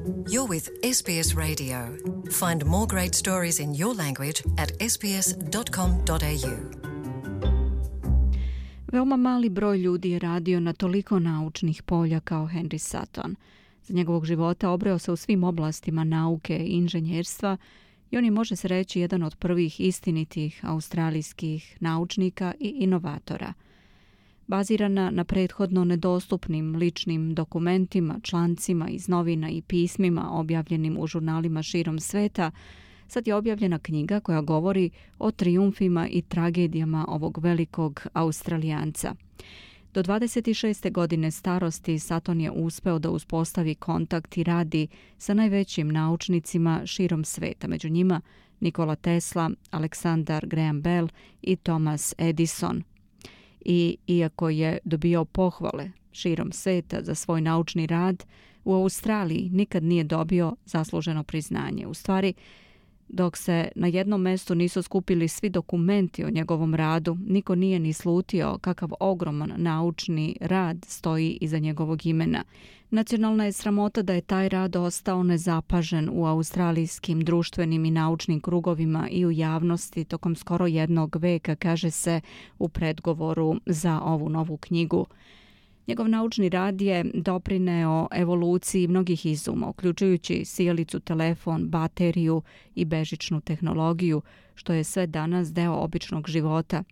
You're with SBS Radio. Find more great stories in your language at sbs.com.au. Veoma mali broj ljudi je radio na toliko naučnih polja kao Henry Sutton. Za njegovog života obreo se u svim oblastima nauke i inženjerstva i on je, može se reći, jedan od prvih istinitih australijskih naučnika i inovatora. Bazirana na prethodno nedostupnim ličnim dokumentima, člancima iz novina i pismima objavljenim u žurnalima širom sveta, sad je objavljena knjiga koja govori o trijumfima i tragedijama ovog velikog Australijanca. Do 26. godine starosti Sutton je uspeo da uspostavi kontakt i radi sa najvećim naučnicima širom sveta, među njima Nikola Tesla, Alexander Graham Bell i Thomas Edison. I iako je dobio pohvale širom sveta za svoj naučni rad, u Australiji nikad nije dobio zasluženo priznanje. U stvari, dok se na jednom mestu nisu skupili svi dokumenti o njegovom radu, niko nije ni slutio kakav ogroman naučni rad stoji iza njegovog imena. Nacionalna je sramota da je taj rad ostao nezapažen u australijskim društvenim i naučnim krugovima i u javnosti tokom skoro jednog veka, kaže se u predgovoru za ovu novu knjigu. Njegov naučni rad je doprineo evoluciji mnogih izuma, uključujući sijalicu, telefon, bateriju i bežičnu tehnologiju, što je sve danas deo običnog života.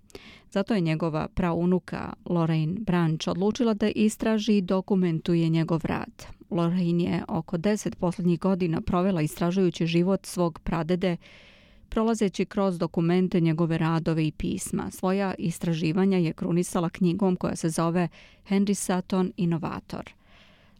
Zato je njegova praunuka Lorraine Branch odlučila da istraži i dokumentuje njegov rad. Lorraine je oko 10 posljednjih godina provela istražujući život svog pradede, prolazeći kroz dokumente, njegove radove i pisma. Svoja istraživanja je krunisala knjigom koja se zove Henry Sutton, inovator.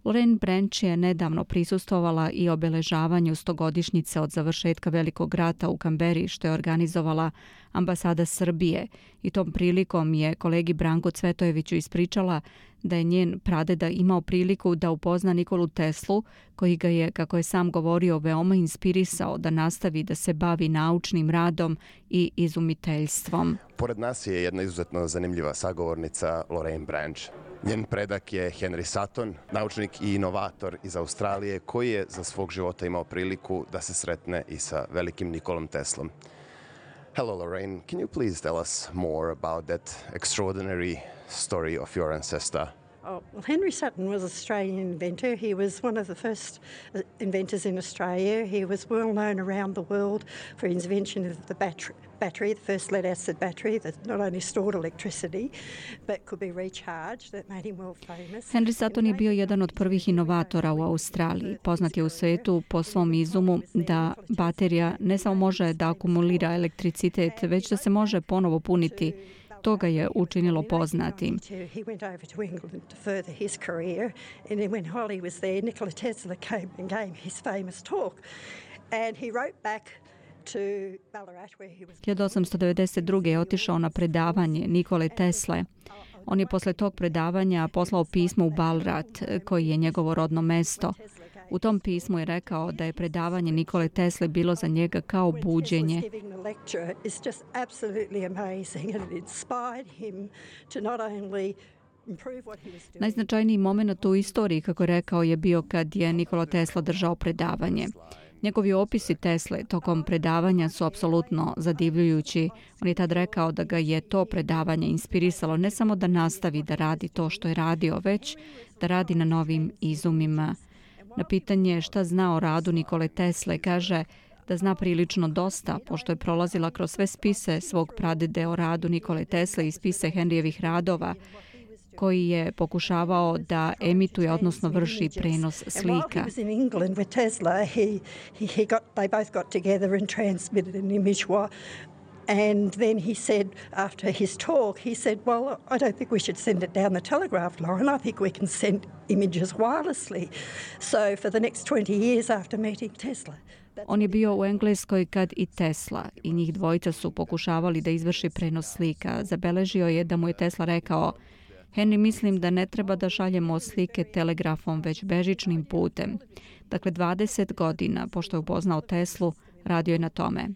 Lorraine Branch je nedavno prisustvovala i obeležavanju 100-godišnjice od završetka Velikog rata u Kamberi, što je organizovala ambasada Srbije, i tom prilikom je kolegi Branku Cvetojeviću ispričala da je njen pradeda imao priliku da upozna Nikolu Teslu, koji ga je, kako je sam govorio, veoma inspirisao da nastavi da se bavi naučnim radom i izumiteljstvom. Pored nas je jedna izuzetno zanimljiva sagovornica, Lorraine Branch. Njen predak je Henry Sutton, naučnik i inovator iz Australije, koji je za svog života imao priliku da se sretne i sa velikim Nikolom Teslom. Hello, Lorraine. Can you please tell us more about that extraordinary story of your ancestor? Oh, well, Henry Sutton was an Australian inventor. He was one of the first inventors in Australia. He was well known around the world for his invention of the battery, the first lead-acid battery that not only stored electricity but could be recharged. That made him world famous. Henry Sutton je bio jedan od prvih inovatora u Australiji. Poznat je u svetu po svom izumu da baterija ne samo može da akumulira elektricitet, već da se može ponovo puniti. To ga je učinilo poznatim. Od 1892. je otišao na predavanje Nikole Tesle. On je posle tog predavanja poslao pismo u Ballarat, koji je njegovo rodno mesto. U tom pismu je rekao da je predavanje Nikole Tesle bilo za njega kao buđenje. Najznačajniji moment u istoriji, kako je rekao, je bio kad je Nikola Tesla držao predavanje. Njegovi opisi Tesle tokom predavanja su apsolutno zadivljujući. On je tad rekao da ga je to predavanje inspirisalo ne samo da nastavi da radi to što je radio, već da radi na novim izumima. Na pitanje šta zna o radu Nikole Tesle, kaže da zna prilično dosta, pošto je prolazila kroz sve spise svog pradede o radu Nikole Tesle i spise Henryjevih radova, koji je pokušavao da emituje, odnosno vrši prenos slika. And then he said, after his talk, he said, well, I don't think we should send it down the telegraph line. I think we can send images wirelessly. So for the next 20 years after meeting Tesla. On je bio u Engleskoj kad i Tesla i njih dvojica su pokušavali da izvrši prenos slika. Zabeležio je da mu je Tesla rekao: Henry, mislim da ne treba da šaljemo slike telegrafom, već bežičnim putem. Dakle, 20 godina, pošto je upoznao Teslu, radio je na tome.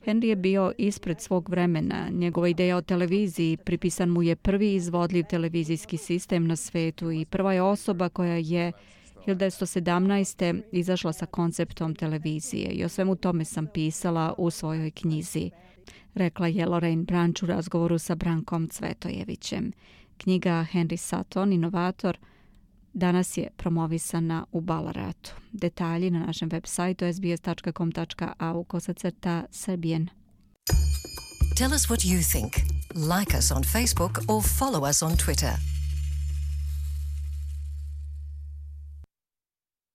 Henry je bio ispred svog vremena. Njegova ideja o televiziji, pripisan mu je prvi izvodljiv televizijski sistem na svetu i prva je osoba koja je 1917. izašla sa konceptom televizije i o svemu tome sam pisala u svojoj knjizi, rekla je Lorraine Branch u razgovoru sa Brankom Cvetojevićem. Knjiga Henry Sutton, inovator, danas je promovisana u Balaratu. Detalji na našem web sajtu sbs.com.au/Serbian. Tell us what you think. Like us on Facebook or follow us on Twitter.